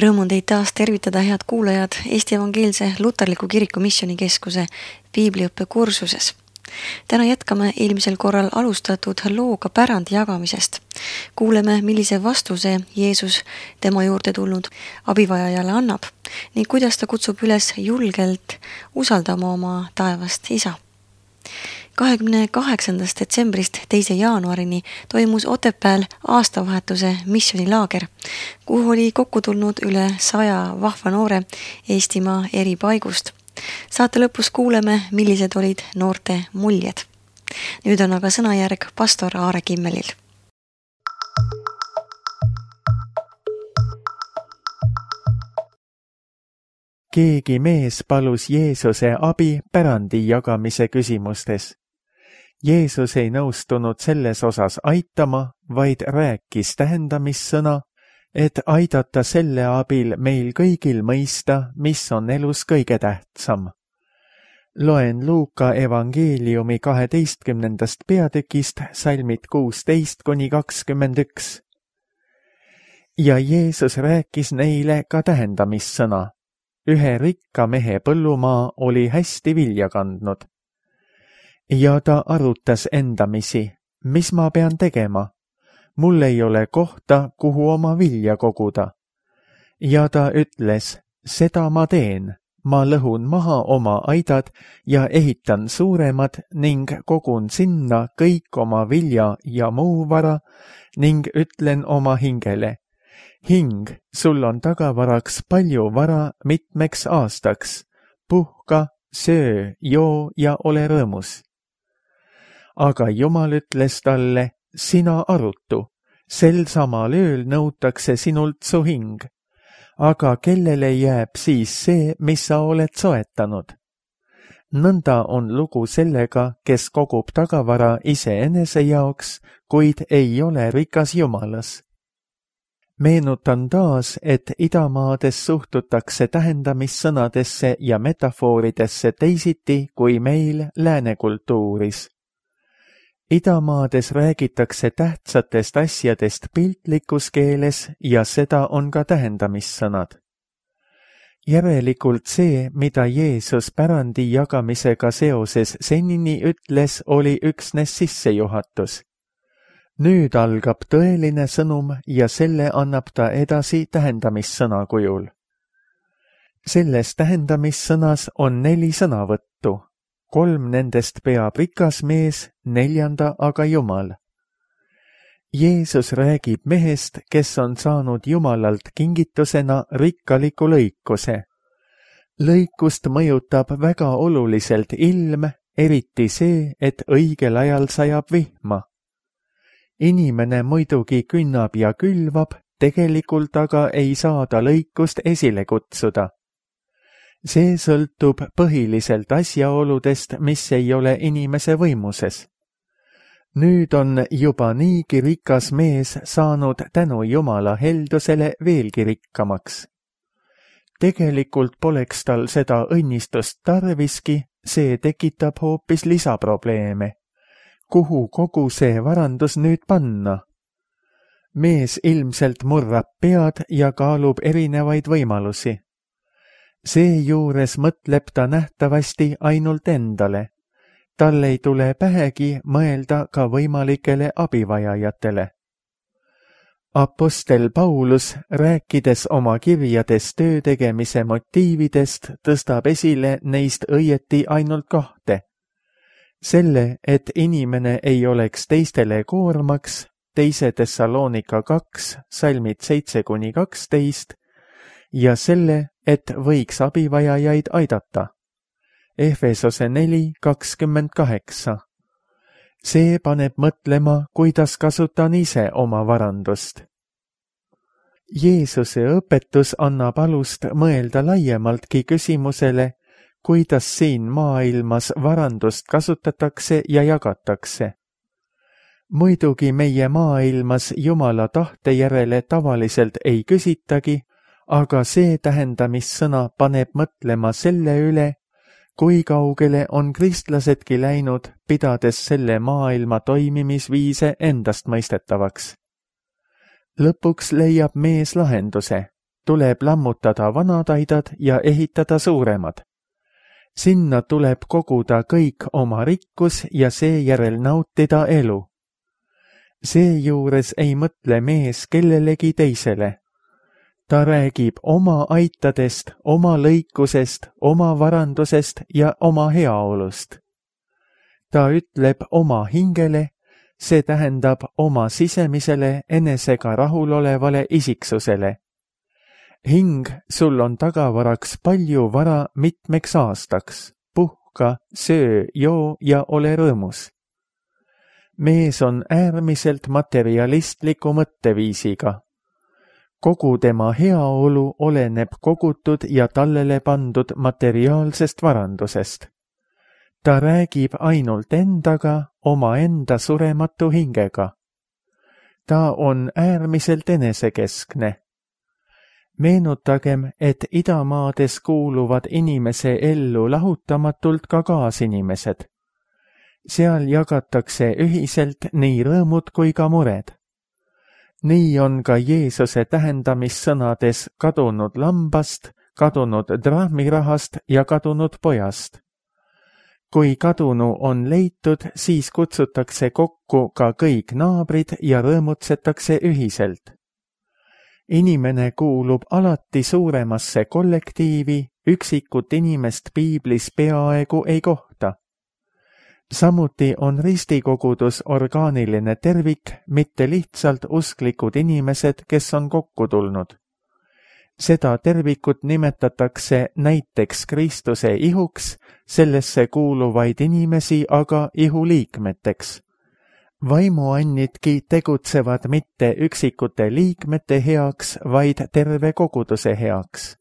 Rõõm on teid taas tervitada, head kuulajad, Eesti Evangeelse Luterliku Kiriku Missioonikeskuse piibliõppe kursuses. Täna jätkame eelmisel korral alustatud looga pärandi jagamisest. Kuuleme, millise vastuse Jeesus tema juurde tulnud abivajajale annab ning kuidas ta kutsub üles julgelt usaldama oma taevast isa. 28. detsembrist 2. jaanuarini toimus Otepääl aastavahetuse missioonilaager, kuhu oli kokku tulnud üle 100 vahva noore Eestimaa eri paigust. Saate lõpus kuuleme, millised olid noorte muljed. Nüüd on aga sõnajärg pastor Aare Kimmelil. Keegi mees palus Jeesuse abi pärandi jagamise küsimustes. Jeesus ei nõustunud selles osas aitama, vaid rääkis tähendamissõna, et aidata selle abil meil kõigil mõista, mis on elus kõige tähtsam. Loen Luuka evangeeliumi 12. peatükist salmid 16-21. Ja Jeesus rääkis neile ka tähendamissõna. Ühe rikka mehe põllumaa oli hästi vilja kandnud. Ja ta arutas endamisi, mis ma pean tegema? Mul ei ole kohta, kuhu oma vilja koguda. Ja ta ütles, seda ma teen. Ma lõhun maha oma aidad ja ehitan suuremad ning kogun sinna kõik oma vilja ja muu vara ning ütlen oma hingele. Hing, sul on tagavaraks palju vara mitmeks aastaks. Puhka, söö, joo ja ole rõõmus. Aga Jumal ütles talle, sina arutu, sel samal ööl nõutakse sinult su hing. Aga kellele jääb siis see, mis sa oled soetanud? Nõnda on lugu sellega, kes kogub tagavara iseenese jaoks, kuid ei ole rikas Jumalas. Meenutan taas, et idamaades suhtutakse tähendamissõnadesse ja metafooridesse teisiti kui meil läänekultuuris. Idamaades räägitakse tähtsatest asjadest piltlikus keeles ja seda on ka tähendamissõnad. Järelikult see, mida Jeesus pärandi jagamisega seoses senini ütles, oli üksnes sissejuhatus. Nüüd algab tõeline sõnum ja selle annab ta edasi tähendamissõna kujul. Selles tähendamissõnas on 4 sõnavõttu. 3 nendest peab rikas mees, 4. aga Jumal. Jeesus räägib mehest, kes on saanud Jumalalt kingitusena rikkaliku lõikuse. Lõikust mõjutab väga oluliselt ilm, eriti see, et õigel ajal sajab vihma. Inimene muidugi künnab ja külvab, tegelikult aga ei saa ta lõikust esile kutsuda. See sõltub põhiliselt asjaoludest, mis ei ole inimese võimuses. Nüüd on juba niigi rikas mees saanud tänu Jumala heldusele veelgi rikkamaks. Tegelikult poleks tal seda õnnistust tarviski, see tekitab hoopis lisaprobleeme. Kuhu kogu see varandus nüüd panna? Mees ilmselt murrab pead ja kaalub erinevaid võimalusi. Seejuures mõtleb ta nähtavasti ainult endale. Tal ei tule pähegi mõelda ka võimalikele abivajajatele. Apostel Paulus, rääkides oma kirjades töö tegemise motiividest, tõstab esile neist õieti ainult 2. Selle, et inimene ei oleks teistele koormaks, 2. Tessaloonika 2, salmid 7-12, ja selle, et võiks abivajajaid aidata. Efesose 4:28. See paneb mõtlema, kuidas kasutan ise oma varandust. Jeesuse õpetus annab alust mõelda laiemaltki küsimusele, kuidas siin maailmas varandust kasutatakse ja jagatakse. Muidugi meie maailmas Jumala tahte järele tavaliselt ei küsitagi, aga see tähendamissõna paneb mõtlema selle üle, kui kaugele on kristlasedki läinud, pidades selle maailma toimimisviise endast mõistetavaks. Lõpuks leiab mees lahenduse. tuleb lammutada vanad aidad ja ehitada suuremad. Sinna tuleb koguda kõik oma rikkus ja seejärel nautida elu. Seejuures ei mõtle mees kellelegi teisele. Ta räägib oma aitadest, oma lõikusest, oma varandusest ja oma heaolust. Ta ütleb oma hingele, see tähendab oma sisemisele enesega rahulolevale isiksusele. Hing, sul on tagavaraks palju vara mitmeks aastaks. Puhka, söö, joo ja ole rõõmus. Mees on äärmiselt materialistliku mõtteviisiga. Kogu tema heaolu oleneb kogutud ja tallele pandud materiaalsest varandusest. Ta räägib ainult endaga, omaenda surematu hingega. Ta on äärmiselt enesekeskne. Meenutagem, et idamaades kuuluvad inimese ellu lahutamatult ka kaasinimesed. Seal jagatakse ühiselt nii rõõmud kui ka mured. Nii on ka Jeesuse tähendamissõnades kadunud lambast, kadunud drahmirahast ja kadunud pojast. Kui kadunu on leitud, siis kutsutakse kokku ka kõik naabrid ja rõõmutsetakse ühiselt. Inimene kuulub alati suuremasse kollektiivi, üksikut inimest piiblis peaaegu ei kohta. Samuti on ristikogudus orgaaniline tervik, mitte lihtsalt usklikud inimesed, kes on kokku tulnud. Seda tervikut nimetatakse näiteks Kristuse ihuks, sellesse kuuluvaid inimesi aga ihuliikmeteks. Vaimuannidki tegutsevad mitte üksikute liikmete heaks, vaid terve koguduse heaks.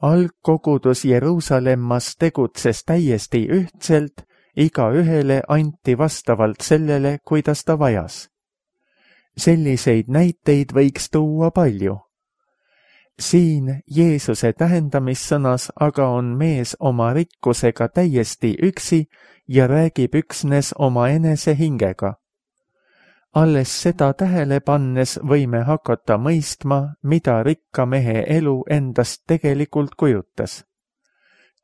Algkogudus Jeruusalemmas tegutses täiesti ühtselt, igaühele anti vastavalt sellele, kuidas ta vajas. Selliseid näiteid võiks tuua palju. Siin Jeesuse tähendamissõnas aga on mees oma rikkusega täiesti üksi ja räägib üksnes oma enese hingega. Alles seda tähele pannes võime hakata mõistma, mida rikka mehe elu endast tegelikult kujutas.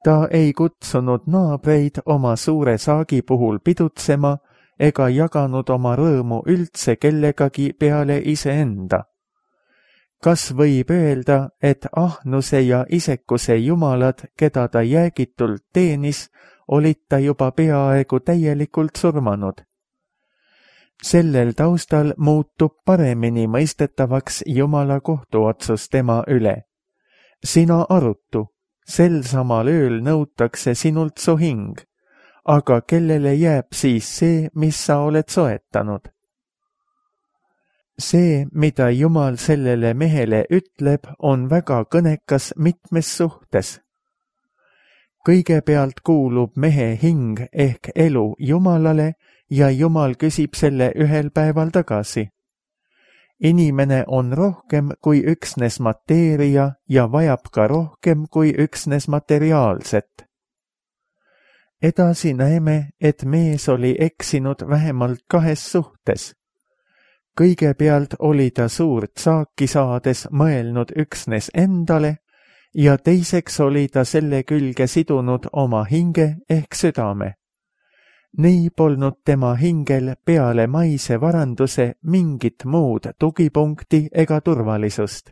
Ta ei kutsunud naabreid oma suure saagi puhul pidutsema ega jaganud oma rõõmu üldse kellegagi peale iseenda. Kas võib öelda, et ahnuse ja isekuse jumalad, keda ta jäägitult teenis, olid ta juba peaaegu täielikult surmanud? Sellel taustal muutub paremini mõistetavaks Jumala kohtuotsus tema üle. Sina arutu, sel samal ööl nõutakse sinult su hing, aga kellele jääb siis see, mis sa oled soetanud? See, mida Jumal sellele mehele ütleb, on väga kõnekas mitmes suhtes. Kõigepealt kuulub mehe hing ehk elu Jumalale ja Jumal küsib selle ühel päeval tagasi. Inimene on rohkem kui üksnes mateeria ja vajab ka rohkem kui üksnes materiaalset. Edasi näeme, et mees oli eksinud vähemalt kahes suhtes. Kõigepealt oli ta suurt saaki saades mõelnud üksnes endale ja teiseks oli ta selle külge sidunud oma hinge ehk südame. Nii polnud tema hingel peale maise varanduse mingit muud tugipunkti ega turvalisust.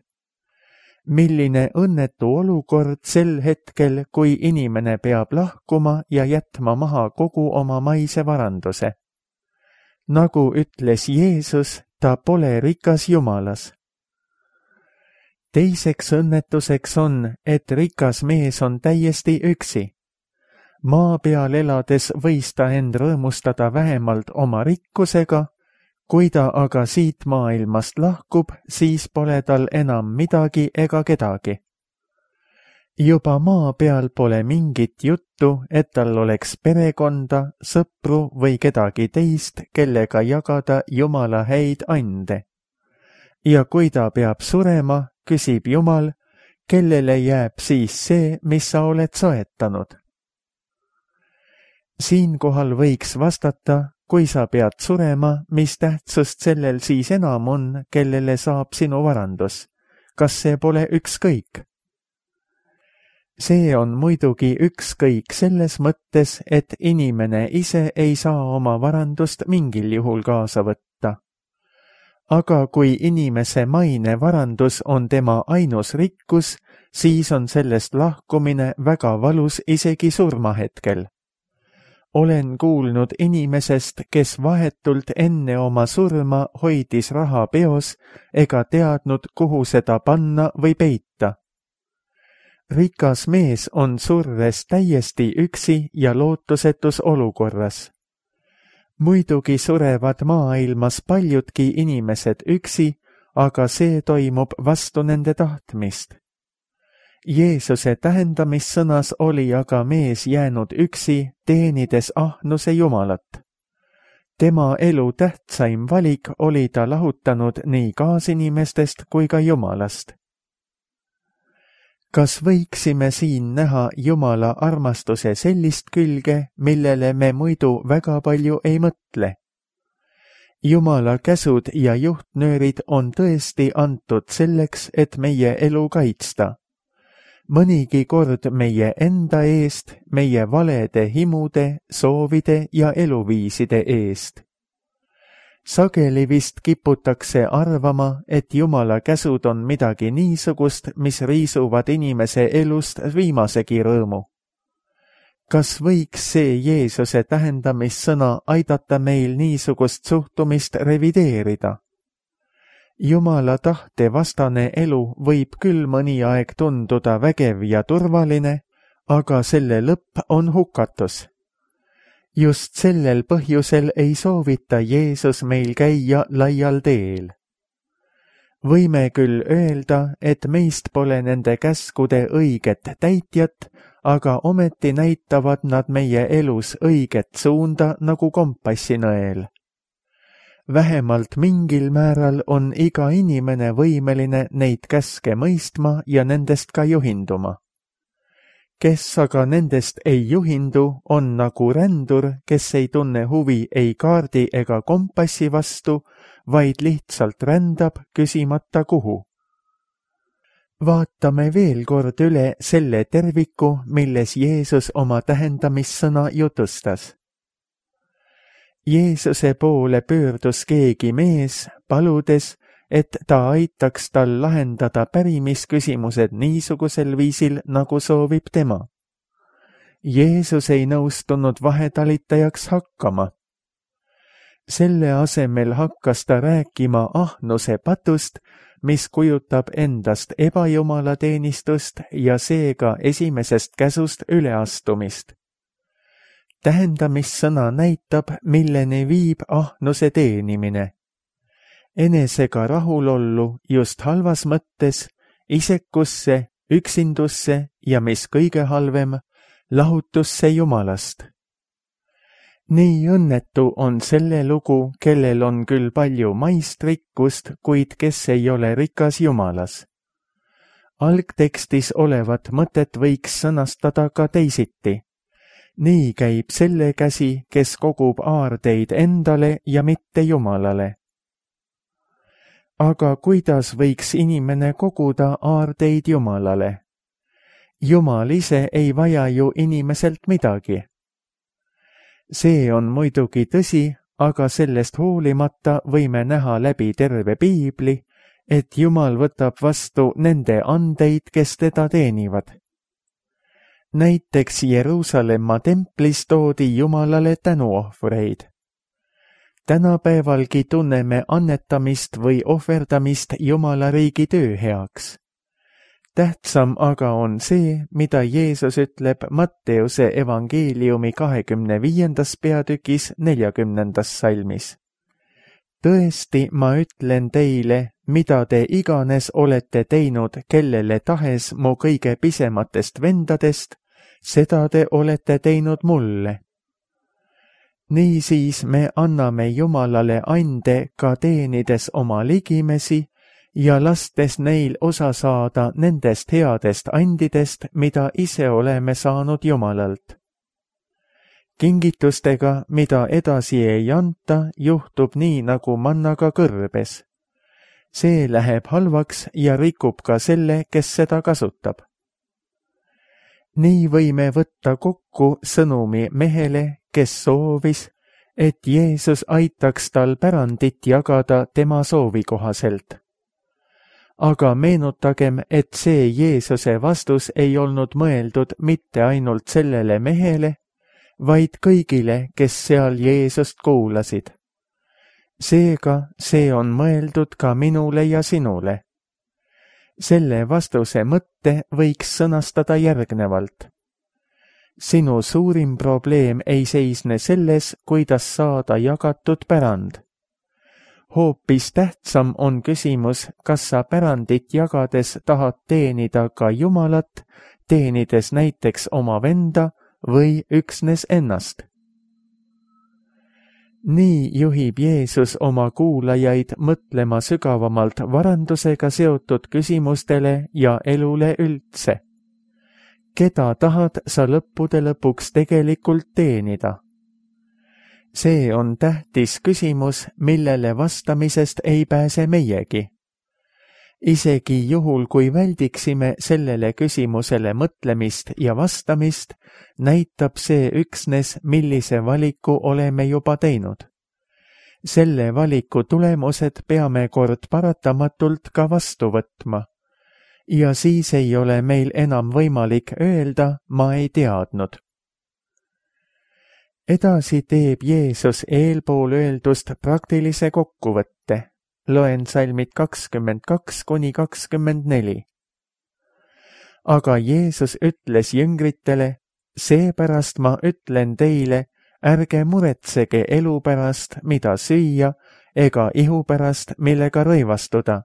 Milline õnnetu olukord sel hetkel, kui inimene peab lahkuma ja jätma maha kogu oma maise varanduse. Nagu ütles Jeesus, ta pole rikas Jumalas. Teiseks õnnetuseks on, et rikas mees on täiesti üksi. Maa peal elades võis ta end rõõmustada vähemalt oma rikkusega, kui ta aga siit maailmast lahkub, siis pole tal enam midagi ega kedagi. Juba maa peal pole mingit juttu, et tal oleks perekonda, sõpru või kedagi teist, kellega jagada Jumala häid ande. Ja kui ta peab surema, küsib Jumal, kellele jääb siis see, mis sa oled soetanud. Siinkohal võiks vastata, kui sa pead surema, mis tähtsust sellel siis enam on, kellele saab sinu varandus, kas see pole ükskõik? See on muidugi ükskõik selles mõttes, et inimene ise ei saa oma varandust mingil juhul kaasa võtta. Aga kui inimese maine varandus on tema ainus rikkus, siis on sellest lahkumine väga valus isegi surmahetkel. Olen kuulnud inimesest, kes vahetult enne oma surma hoidis raha peos ega teadnud, kuhu seda panna või peita. Rikas mees on surres täiesti üksi ja lootusetus olukorras. Muidugi surevad maailmas paljudki inimesed üksi, aga see toimub vastu nende tahtmist. Jeesuse tähendamissõnas oli aga mees jäänud üksi, teenides ahnuse Jumalat. Tema elu tähtsaim valik oli ta lahutanud nii kaasinimestest kui ka Jumalast. Kas võiksime siin näha Jumala armastuse sellist külge, millele me muidu väga palju ei mõtle? Jumala käsud ja juhtnöörid on tõesti antud selleks, et meie elu kaitsta. Mõnigi kord meie enda eest, meie valede himude, soovide ja eluviiside eest. Sageli vist kiputakse arvama, et Jumala käsud on midagi niisugust, mis riisuvad inimese elust viimasegi rõõmu. Kas võiks see Jeesuse tähendamissõna aidata meil niisugust suhtumist revideerida? Jumala tahte vastane elu võib küll mõni aeg tunduda vägev ja turvaline, aga selle lõpp on hukatus. Just sellel põhjusel ei soovita Jeesus meil käia laial teel. Võime küll öelda, et meist pole nende käskude õiget täitjat, aga ometi näitavad nad meie elus õiget suunda nagu kompassinõel. Vähemalt mingil määral on iga inimene võimeline neid käske mõistma ja nendest ka juhinduma. Kes aga nendest ei juhindu, on nagu rändur, kes ei tunne huvi ei kaardi ega kompassi vastu, vaid lihtsalt rändab, küsimata kuhu. Vaatame veel kord üle selle terviku, milles Jeesus oma tähendamissõna jutustas. Jeesuse poole pöördus keegi mees, paludes, et ta aitaks tal lahendada pärimisküsimused niisugusel viisil, nagu soovib tema. Jeesus ei nõustunud vahetalitajaks hakkama. Selle asemel hakkas ta rääkima ahnuse patust, mis kujutab endast ebajumalateenistust ja seega esimesest käsust üleastumist. Tähendamissõna näitab, milleni viib ahnuse teenimine. Enesega rahulollu just halvas mõttes, isekusse, üksindusse ja mis kõige halvem, lahutusse Jumalast. Nii õnnetu on selle lugu, kellel on küll palju maist rikkust, kuid kes ei ole rikas Jumalas. Algtekstis olevat mõtet võiks sõnastada ka teisiti. Nii käib selle käsi, kes kogub aardeid endale ja mitte Jumalale. Aga kuidas võiks inimene koguda aardeid Jumalale? Jumal ise ei vaja ju inimeselt midagi. See on muidugi tõsi, aga sellest hoolimata võime näha läbi terve piibli, et Jumal võtab vastu nende andeid, kes teda teenivad. Näiteks Jeruusalemma templis toodi Jumalale tänuohvreid. Tänapäevalgi tunneme annetamist või ohverdamist Jumala riigi töö heaks. Tähtsam aga on see, mida Jeesus ütleb Matteuse evangeeliumi 25. peatükis 40. salmis. Tõesti, ma ütlen teile, mida te iganes olete teinud kellele tahes mu kõige pisematest vendadest, seda te olete teinud mulle. Niisiis me anname Jumalale ande ka teenides oma ligimesi ja lastes neil osa saada nendest headest andidest, mida ise oleme saanud Jumalalt. Kingitustega, mida edasi ei anta, juhtub nii nagu mannaga kõrbes. see läheb halvaks ja rikub ka selle, kes seda kasutab. Nii võime võtta kokku sõnumi mehele, kes soovis, et Jeesus aitaks tal pärandit jagada tema soovi kohaselt. Aga meenutagem, et see Jeesuse vastus ei olnud mõeldud mitte ainult sellele mehele, vaid kõigile, kes seal Jeesust kuulasid. Seega see on mõeldud ka minule ja sinule. Selle vastuse mõtte võiks sõnastada järgnevalt. Sinu suurim probleem ei seisne selles, kuidas saada jagatud pärand. Hoopis tähtsam on küsimus, kas sa pärandit jagades tahad teenida ka Jumalat, teenides näiteks oma venda või üksnes ennast. Nii juhib Jeesus oma kuulajaid mõtlema sügavamalt varandusega seotud küsimustele ja elule üldse. Keda tahad sa lõppude lõpuks tegelikult teenida? See on tähtis küsimus, millele vastamisest ei pääse meiegi. Isegi juhul, kui väldiksime sellele küsimusele mõtlemist ja vastamist, näitab see üksnes, millise valiku oleme juba teinud. Selle valiku tulemused peame kord paratamatult ka vastu võtma. Ja siis ei ole meil enam võimalik öelda, ma ei teadnud. Edasi teeb Jeesus eelpool öeldust praktilise kokkuvõtte. Loen salmid 22–24. Aga Jeesus ütles jüngritele, seepärast ma ütlen teile, ärge muretsege elu pärast, mida süüa, ega ihu pärast, millega rõivastuda,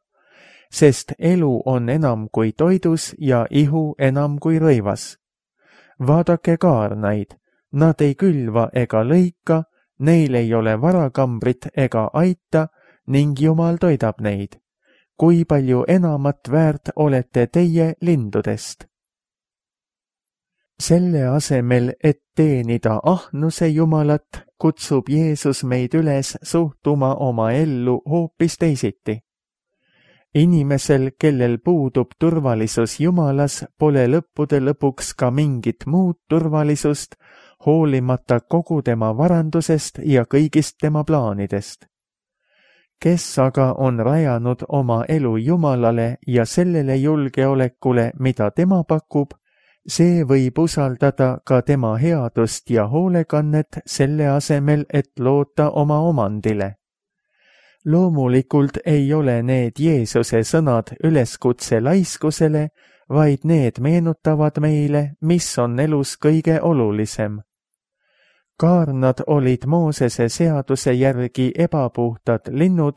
sest elu on enam kui toidus ja ihu enam kui rõivas. Vaadake kaarnaid, nad ei külva ega lõika, neil ei ole varakambrit ega aita, ning Jumal toidab neid. Kui palju enamat väärt olete teie lindudest? Selle asemel, et teenida ahnuse Jumalat, kutsub Jeesus meid üles suhtuma oma ellu hoopis teisiti. Inimesel, kellel puudub turvalisus Jumalas, pole lõppude lõpuks ka mingit muud turvalisust, hoolimata kogu tema varandusest ja kõigist tema plaanidest. Kes aga on rajanud oma elu Jumalale ja sellele julgeolekule, mida tema pakub, see võib usaldada ka tema headust ja hoolekannet selle asemel, et loota oma omandile. Loomulikult ei ole need Jeesuse sõnad üleskutse laiskusele, vaid need meenutavad meile, mis on elus kõige olulisem. Kaarnad olid Moosese seaduse järgi ebapuhtad linnud,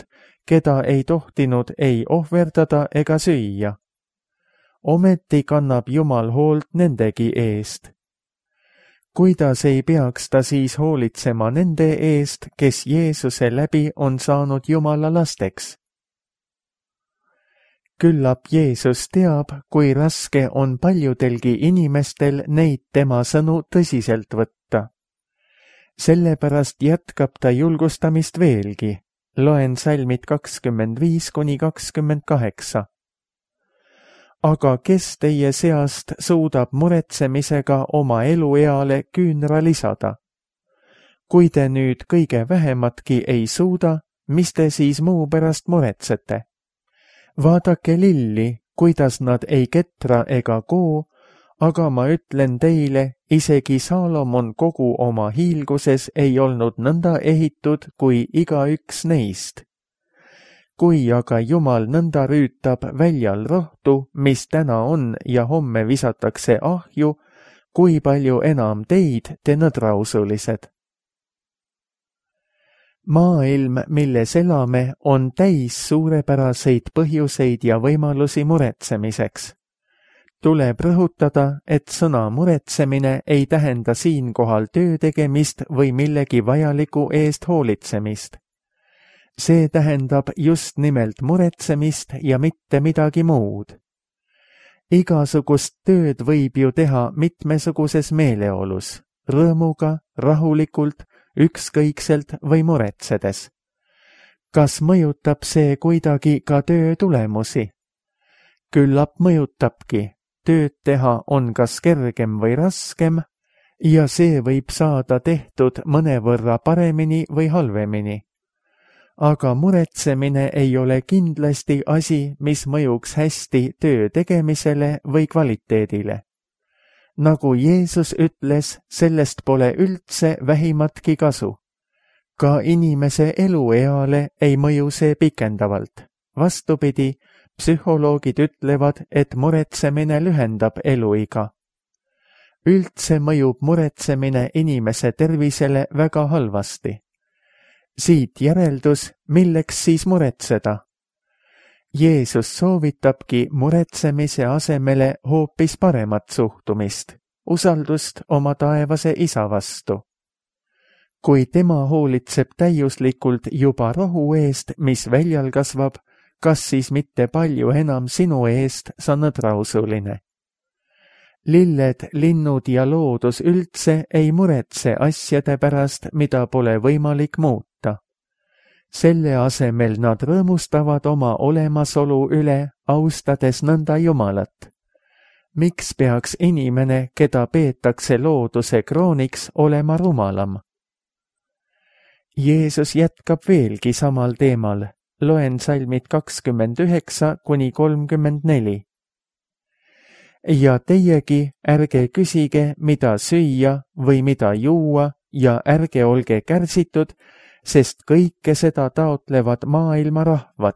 keda ei tohtinud ei ohverdada ega süüa. Ometi kannab Jumal hoolt nendegi eest. Kuidas ei peaks ta siis hoolitsema nende eest, kes Jeesuse läbi on saanud Jumala lasteks? Küllap Jeesus teab, kui raske on paljudelgi inimestel neid tema sõnu tõsiselt võtta. Sellepärast jätkab ta julgustamist veelgi. Loen salmid 25–28. Aga kes teie seast suudab muretsemisega oma elueale küünra lisada? Kui te nüüd kõige vähematki ei suuda, mis te siis muu pärast muretsete? Vaadake lilli, kuidas nad ei ketra ega koo, aga ma ütlen teile, isegi Saalomon kogu oma hiilguses ei olnud nõnda ehitud kui igaüks neist. Kui aga Jumal nõnda rüütab väljal rohtu, mis täna on ja homme visatakse ahju, kui palju enam teid, te nõdrausulised. Maailm, milles elame, on täis suurepäraseid põhjuseid ja võimalusi muretsemiseks. Tuleb rõhutada, et sõna muretsemine ei tähenda siinkohal töö tegemist või millegi vajaliku eest hoolitsemist. See tähendab just nimelt muretsemist ja mitte midagi muud. Igasugust tööd võib ju teha mitmesuguses meeleolus, rõõmuga, rahulikult, ükskõikselt või muretsedes. Kas mõjutab see kuidagi ka töö tulemusi? Küllap mõjutabki. Tööd teha on kas kergem või raskem ja see võib saada tehtud mõnevõrra paremini või halvemini. Aga muretsemine ei ole kindlasti asi, mis mõjuks hästi töö tegemisele või kvaliteedile. Nagu Jeesus ütles, sellest pole üldse vähimatki kasu. Ka inimese elueale ei mõju see pikendavalt. Vastupidi, psühholoogid ütlevad, et muretsemine lühendab eluiga. Üldse mõjub muretsemine inimese tervisele väga halvasti. Siit järeldus, milleks siis muretseda? Jeesus soovitabki muretsemise asemele hoopis paremat suhtumist, usaldust oma taevase isa vastu. Kui tema hoolitseb täiuslikult juba rohu eest, mis väljal kasvab, kas siis mitte palju enam sinu eest sa nõdrausuline? Lilled, linnud ja loodus üldse ei muretse asjade pärast, mida pole võimalik muuta. Selle asemel nad rõõmustavad oma olemasolu üle, austades nõnda Jumalat. Miks peaks inimene, keda peetakse looduse krooniks, olema rumalam? Jeesus jätkab veelgi samal teemal. Loen salmid 29–34. Ja teiegi ärge küsige, mida süüa või mida juua ja ärge olge kärsitud, sest kõike seda taotlevad maailma rahvad.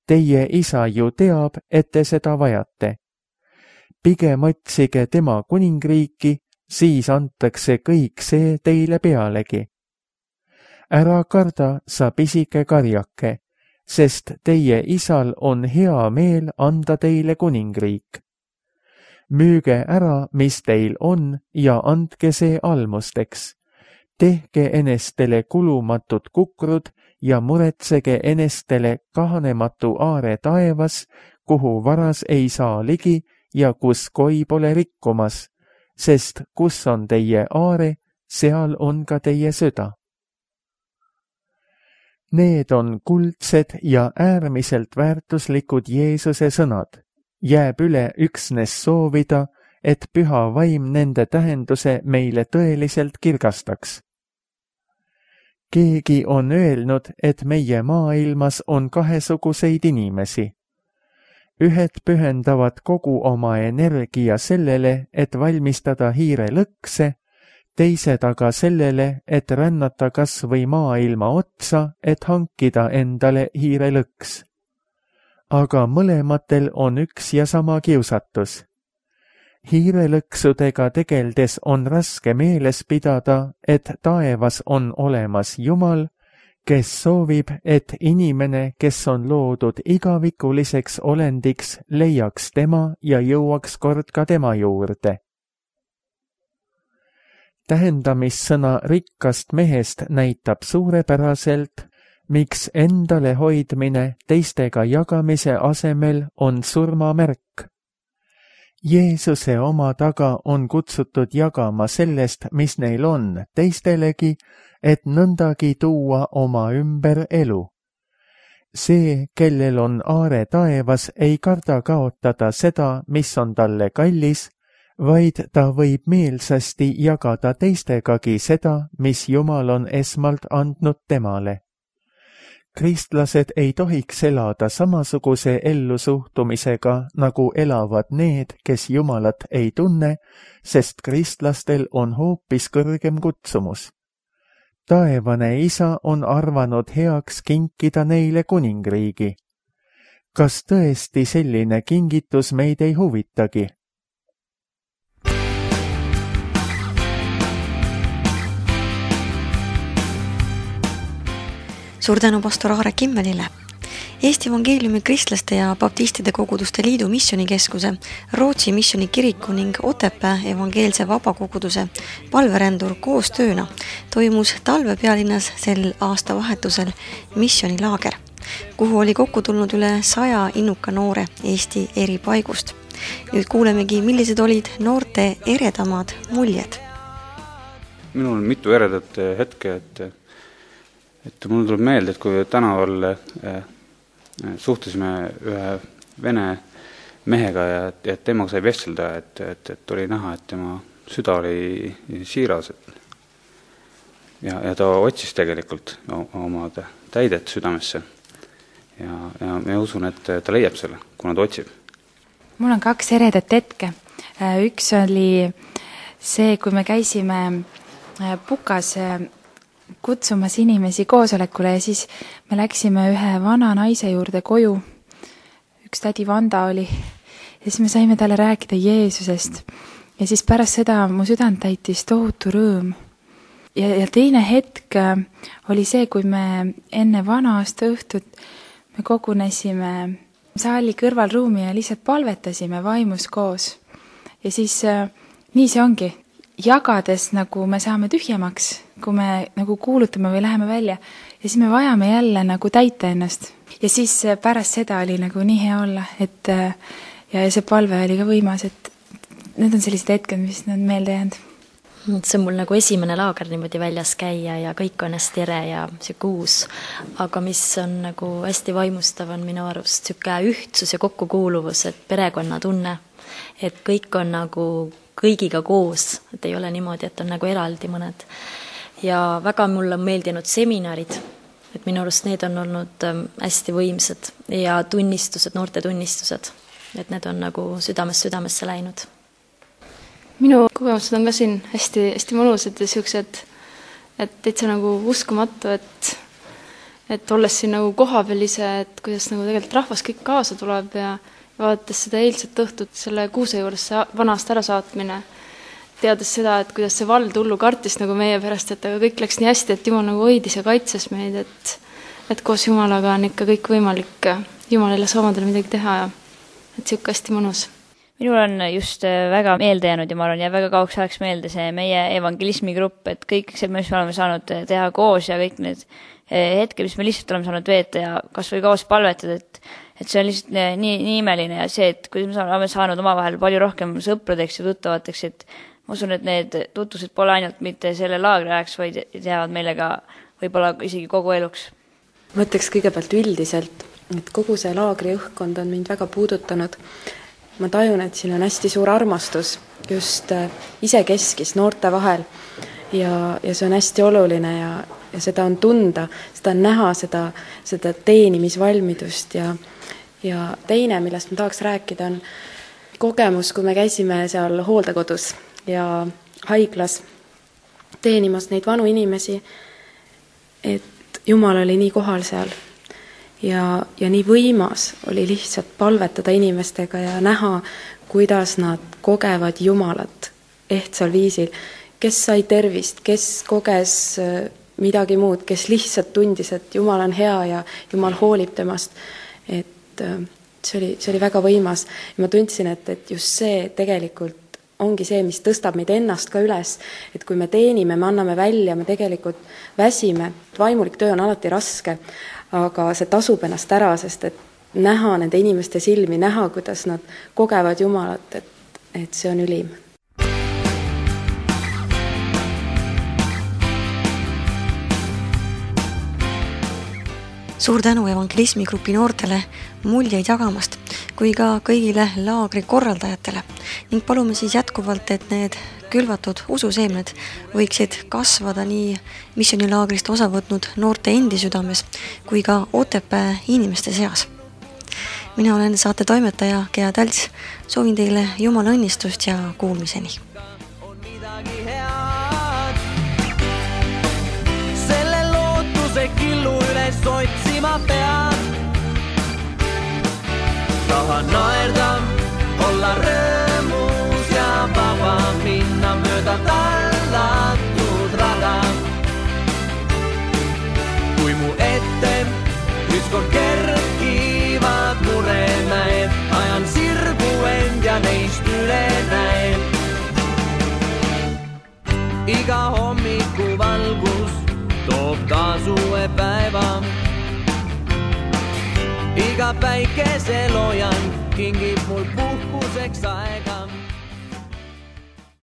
Teie isa ju teab, et te seda vajate. Pigem otsige tema kuningriiki, siis antakse kõik see teile pealegi. Ära karda, sa pisike karjake, sest teie isal on hea meel anda teile kuningriik. Müüge ära, mis teil on, ja andke see almusteks. Tehke enestele kulumatud kukrud ja muretsege enestele kahanematu aare taevas, kuhu varas ei saa ligi ja kus koi pole rikkumas, sest kus on teie aare, seal on ka teie süda. Need on kuldsed ja äärmiselt väärtuslikud Jeesuse sõnad. Jääb üle üksnes soovida, et püha vaim nende tähenduse meile tõeliselt kirgastaks. Keegi on öelnud, et meie maailmas on kahesuguseid inimesi. Ühed pühendavad kogu oma energia sellele, et valmistada hiirelõkse, teised aga sellele, et rännata kas või maailma otsa, et hankida endale hiirelõks. Aga mõlematel on üks ja sama kiusatus. Hiirelõksudega tegeldes on raske meeles pidada, et taevas on olemas Jumal, kes soovib, et inimene, kes on loodud igavikuliseks olendiks, leiaks tema ja jõuaks kord ka tema juurde. Tähendamissõna rikkast mehest näitab suurepäraselt, miks endale hoidmine teistega jagamise asemel on surmamärk. Jeesuse oma taga on kutsutud jagama sellest, mis neil on, teistelegi, et nõndagi tuua oma ümber elu. See, kellel on aare taevas, ei karda kaotada seda, mis on talle kallis, vaid ta võib meelsasti jagada teistegagi seda, mis Jumal on esmalt andnud temale. Kristlased ei tohiks elada samasuguse ellusuhtumisega, nagu elavad need, kes Jumalat ei tunne, sest kristlastel on hoopis kõrgem kutsumus. Taevane isa on arvanud heaks kinkida neile kuningriigi. Kas tõesti selline kingitus meid ei huvitagi? Suur tänu pastor Aare Kimmelile. Eesti Evangeeliumi kristlaste ja baptistide koguduste liidu missionikeskuse, Rootsi missionikiriku ning Otepää evangeelse vabakoguduse palverändur koostööna toimus talvepealinnas sel aastavahetusel missionilaager, kuhu oli kokku tulnud üle 100 innuka noore Eesti eri paigust. Nüüd kuulemegi, millised olid noorte eredamad muljed. Minul on mitu eredat hetke, Et mul tuleb meelde, et kui tänaval suhtlesime ühe vene mehega ja temaga sai vestelda, et oli näha, et tema süda oli siiras. Ja ta otsis tegelikult oma täidet südamesse. Ja ma usun, et ta leiab selle, kuna ta otsib. Mul on 2 eredat hetke. Üks oli see, kui me käisime Pukas kutsumas inimesi koosolekule ja siis me läksime ühe vana naise juurde koju. Üks tädi Vanda oli ja siis me saime talle rääkida Jeesusest ja siis pärast seda mu südant täitis tohutu rõõm. Ja teine hetk oli see, kui me enne vana aasta õhtut me kogunesime saali kõrvalruumi ja lihtsalt palvetasime vaimus koos. Ja siis nii see ongi. Jagades nagu me saame tühjemaks, kui me nagu kuulutame või läheme välja ja siis me vajame jälle nagu täita ennast. Ja siis pärast seda oli nagu nii hea olla, et ja see palve oli ka võimas, et need on sellised hetked, mis on meelde jäänud. See on mul nagu esimene laager niimoodi väljas käia ja kõik on hästi ere ja siuke uus. Aga mis on nagu hästi vaimustav on minu arust siuke ühtsus ja kokkukuuluvus, et perekonna tunne, et kõik on nagu kõigiga koos, et ei ole niimoodi, et on nagu eraldi mõned. Ja väga mulle on meeldinud seminarid, et minu arust need on olnud hästi võimsad ja tunnistused, noorte tunnistused, et need on nagu südamesse läinud. Minu kogemused on ka siin hästi mõnusad ja siuksed, et täitsa nagu uskumatu, et olles siin nagu kohapeal ise, et kuidas nagu tegelikult rahvas kõik kaasa tuleb ja vaadates seda eilset õhtut selle kuuse juures vanast ära saatmine, teades seda, et kuidas see vald hullu kartis nagu meie pärast, et aga kõik läks nii hästi, et Jumal nagu hoidis ja kaitses meid, et koos Jumalaga on ikka kõik võimalik Jumalile saamadele midagi teha ja et siuke hästi mõnus. Minul on just väga meelde jäänud ja ma arvan, ja väga kauks ajaks meelde see meie evangelismigrupp, et kõik see, mis me oleme saanud teha koos ja kõik need hetke, mis me lihtsalt oleme saanud veeta ja kas või koos palvetada, et see on lihtsalt nii imeline ja see, et kuidas me oleme saanud omavahel palju rohkem sõpradeks ja tuttavateks, et ma usun, et need tutvused pole ainult mitte selle laagri ajaks, vaid teavad meile ka võib-olla isegi kogu eluks. Ma ütleks kõigepealt üldiselt, et kogu see laagri õhkkond on mind väga puudutanud. Ma tajun, et siin on hästi suur armastus just isekeskis noorte vahel ja see on hästi oluline ja seda on tunda, seda on näha, seda teenimisvalmidust ja teine, millest ma tahaks rääkida, on kogemus, kui me käisime seal hooldekodus ja haiglas teenimas neid vanu inimesi, et Jumal oli nii kohal seal ja nii võimas oli lihtsalt palvetada inimestega ja näha, kuidas nad kogevad Jumalat ehtsal viisil, kes sai tervist, kes koges midagi muud, kes lihtsalt tundis, et Jumal on hea ja Jumal hoolib temast, et see oli väga võimas ja ma tundsin, et just see tegelikult ongi see, mis tõstab meid ennast ka üles, et kui me teenime, me anname välja, me tegelikult väsime, vaimulik töö on alati raske, aga see tasub ennast ära, sest et näha nende inimeste silmi, näha, kuidas nad kogevad Jumalat, et see on ülim. Suur tänu evangelismigrupi noortele muljeid jagamast, kui ka kõigile laagri korraldajatele ning palume siis jätkuvalt, et need külvatud ususeemned võiksid kasvada nii missionilaagrist osa võtnud noorte endi südames kui ka Otepää inimeste seas. Mina olen saate toimetaja Gea Tälts, soovin teile Jumala õnnistust ja kuulmiseni. Selle lootuse killu üles otsima pean. Tahan naerda, olla rõõmus ja vaba minna mööda tallatud rada. Kui mu ette ükskord kerkivad muremäed, ajan sirgu end ja neist üle näen. Iga hommiku valgus toob taas uue päeva. Iga päikeseloojan kingib mul puhkuseks aega.